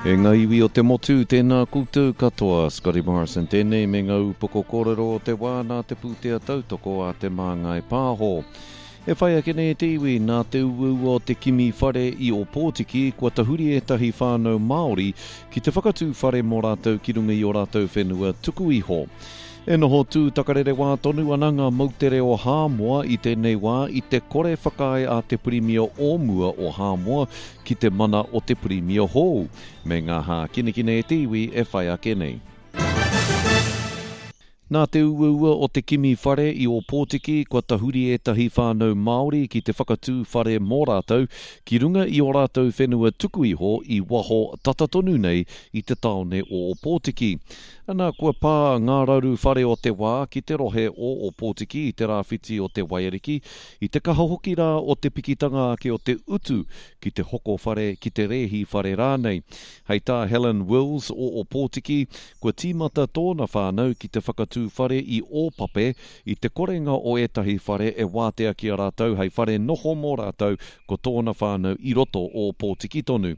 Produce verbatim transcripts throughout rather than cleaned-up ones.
E ngā iwi o te motu, tēnā koutou katoa, Scotty Morrison tēnei me ngā upoko kōrero o te wā nā te pūtea tautoko a Te Māngai Pāho. E whai ake nei te iwi nā te uaua o te kimi whare i Ōpōtiki kua tahuri ētahi whānau Māori ki te whakatū whare mō rātou ki runga i ō rātou whenua tuku iho. E noho tūtakarerewā tonu ana ngā moutere o Hāmoa i tēnei wā i te kore whakaae a te Pirimia o mua o Hāmoa ki te mana o te Pirimia hou, me ngā hākinakina e te iwi e whai ake nei. Nā te uaua o te kimi whare i Ōpōtiki kua tahuri ētahi whānau Māori ki te whakatū whare mō rātou ki runga i ō rātou whenua tuku iho i waho tata tonu nei i te tāone o Ōpōtiki. Ana, kua pā ngā raru whare o te wā ki te rohe o Ōpōtiki i te rāwhiti o te Waiariki, i te kaha hoki rā o te pikitanga ake o te utu ki te hoko whare, ki te rēhi whare rānei. Hei tā Helen Wills o Ōpōtiki, kua tīmata tōna whānau ki te whakatū whare i Ōpape i te korenga o ētahi whare e wātea ki a rātou hei whare noho mō rātou ko tōna whānau i roto o Ōpōtiki tonu.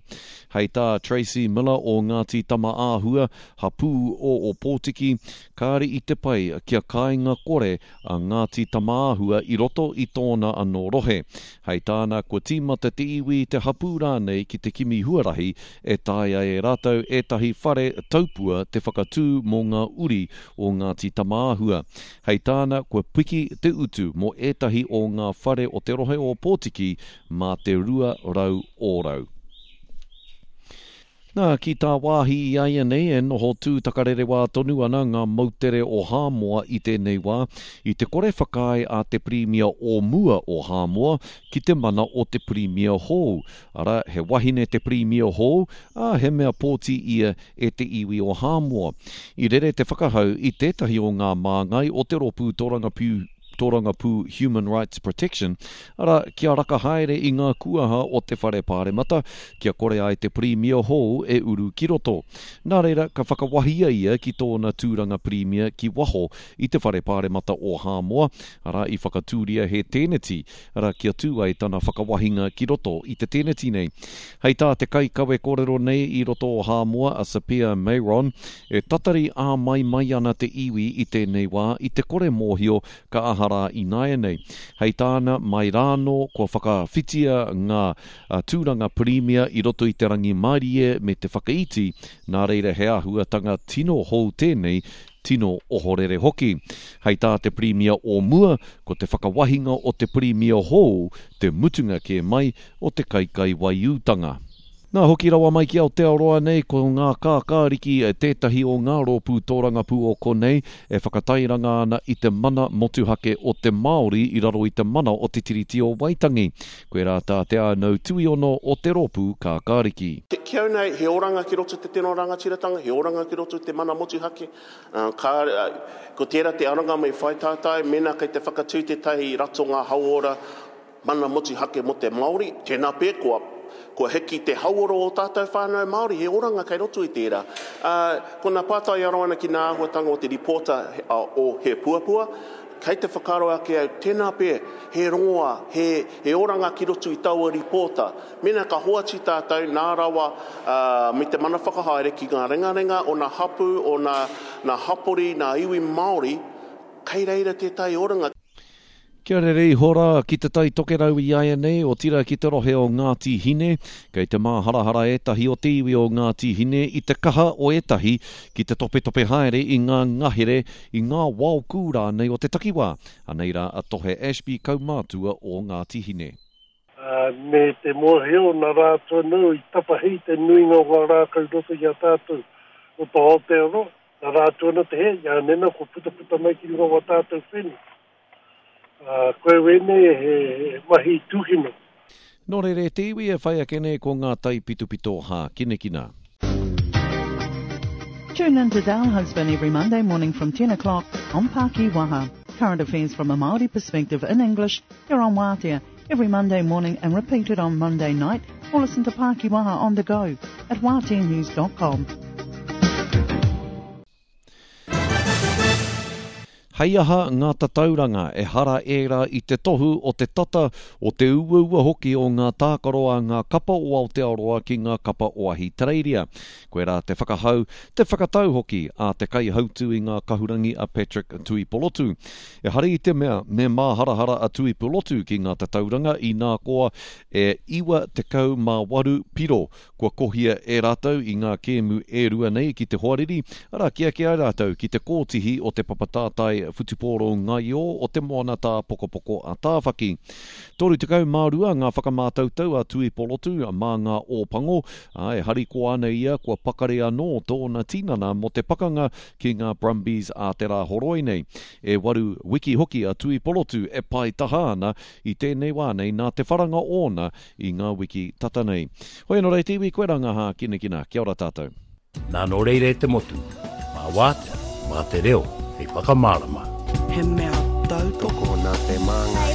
Hei tā Tracy Miller o Ngāti Tamaāhua, hapū o Ōpōtiki, kāre i te pai kia kāinga kore a Ngāti Tamaāhua i roto i tōna anō rohe. Hei tāna, kua tīmata te iwi, te hapū rānei ki te kimi huarahi e taea e rātou ētahi whare taupua te whakatū mō ngā uri o Ngāti Tamaāhua. Hei tāna, kua piki te utu mō ētahi o ngā whare o te rohe o Ōpōtiki mā te rua rau ōrau. Nā, ki tāwāhi i āianei e noho tūtakarerewā tonu ana ngā moutere o Hāmoa i tēnei wā, i te kore whakaae a te Pirimia o mua o Hāmoa ki te mana o te Pirimia hou. Arā, he wahine te Pirimia hou, ā, he mea pōti ia e te iwi o Hāmoa. I rere te whakahau i tētahi o ngā māngai o te rōpū tōrangapū Tōrangapū Human Rights Protection, arā, kia raka haere i ngā kuaha o te Whare Pāremata, kia kore ai te Pirimia hou e uru ki roto. Nā reira, ka whakawahia ia ki tōna tūranga Pirimia ki waho i te Whare Pāremata o Hāmoa, arā, i whakatūria he tēneti, arā, kia tū ai tana whakawahinga ki roto i te tēneti nei. Hei tā te kaikawe kōrero nei i roto o Hāmoa, a Sapia Meiron, e tatari āmaimai ana te iwi i tēnei wā i te kore mōhio ka aha rā ināianei. Hei tāna, mai rānō kua whakawhitia ngā tūranga pirimia i roto i te rangimārie me te whakaiti, nā reira he āhuatanga tino hou tēnei, tino ohorere hoki. Hei tā te pirimia o mua, ko te whakawahinga o te pirimia hou te mutunga kē mai o te kaikaiwaiūtanga. Nā, hoki rawa mai ki Aotearoa nei, ko ngā kākāriki tētahi o ngā rōpū tōrangapū o konei e whakatairanga ana i te mana motuhake o te Māori i raro i te mana o te Tiriti o Waitangi. Koirā tā Te Ānau Tuiono o te rōpū Kākāriki. Ki au nei, he oranga ki roto i te tino rangatiratanga, he oranga ki roto i te mana motuhake. Ka, ko tērā te aranga me whai tātai, mēnā kei te whakatū tētahi ratonga hauora mana motuhake mō te Māori, tēnā pea kua, kua hiki te hauora o tātou whānau Māori, he oranga kei roto i tērā. Ā, ko nā pātai aro ana ki nā āhuatanga o te ripōta o He Puapua, kei te whakaaro ake au, tēnā pea, he rongoā, he, he oranga ki roto i taua ripōta. Mēnā ka hoatu tātou nā rawa ā, me te mana whakahaere ki ngā ringaringa o nā hapū, o nā, nā hapori, nā iwi Māori, kei reira tētahi oranga. Kia rere iho rā ki Te Tai Tokerau i āianei, otirā ki te rohe o Ngāti Hine. Kei te māharahara ētahi o te iwi o Ngāti Hine i te kaha o ētahi ki te topetope haere i ngā ngahere, i ngā waokū rānei o te takiwā. Anei rā a Tohe Ashby, kaumātua o Ngāti Hine. Ā, me te mōhio, nā rātou anō i tapahi te nuinga o ngā rākau i roto i a tātou roto Aotearoa, nā rātou anō te hē, i a nena kua putaputa mai ki runga o ā tātou whenua. Ā, koe wēnei he mahi tūkino. Nō reira e te iwi e whai ake nei ko ngā taipitopito hākinakina. Tune in to Dale Husband every Monday morning from ten o'clock on Pākiwaha. Current affairs from a Māori perspective in English here on Waatea every Monday morning and repeated on Monday night, or listen to Pākiwaha on the go at waatea news dot com. Hei aha ngā tatauranga, ehara ērā i te tohu o te tata, o te uaua hoki o ngā tākaro a ngā kapa o Aotearoa ki ngā kapa o Ahitereiria. Koirā te whakahau, te whakatau hoki a te kaihautū i ngā kahurangi a Patrick Tuipolotu. Ehara i te mea me māharahara a Tuipolotu ki ngā tatauranga inā koa e iwa tekau mā waru piro kua kohia e rātou i ngā kēmu e rua nei ki te hoariri, arā kī ake ai rātou ki te kōtihi o te papatātai whutupōro ngaio o te moana tāpokopoko a Tāwhaki. Toru tekau mā rua ngā whakamātautau a Tuipolotu mā ngā Ōpango, ā, e harikoa ana ia kua pakari anō tōna tinana mō te pakanga ki ngā Brumbies a te Rāhoroi nei. E waru wiki hoki a Tuipolotu e pae taha ana i tēnei wā nei nā te wharanga ōna i ngā wiki tata nei. Hoi anō rei te iwi, koe rā ngā hākinakina. Kia ora tātou. Nā nō reira e te motu, mā wātea, mā te reo, hei whakamārama. He mea tautoko. Tokona te māngai.